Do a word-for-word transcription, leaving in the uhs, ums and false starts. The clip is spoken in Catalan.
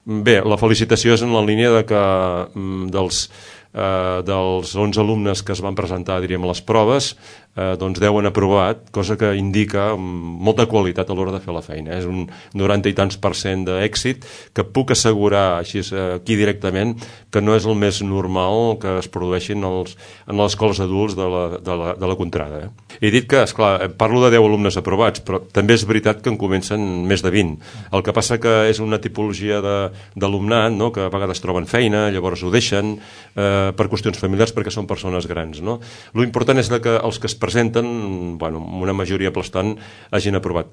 Bé, la felicitació és en la línia de que dels, eh, dels onze alumnes que es van presentar, diríem, a les proves, eh, doncs deu han aprovat, cosa que indica molta qualitat a l'hora de fer la feina. És un noranta i tants per cent d'èxit que puc assegurar així aquí directament que no és el més normal que es produeixin els, en les escoles adults de la, de la, de la contrada. Eh? He dit que, esclar, parlo de deu alumnes aprovats, però també és veritat que en comencen més de vint. El que passa que és una tipologia d'alumnat, no?, que a vegades troben feina, llavors ho deixen eh, per qüestions familiars perquè són persones grans. No? L'important és que els que es presenten, bueno, amb una majoria aplastant, hagin aprovat.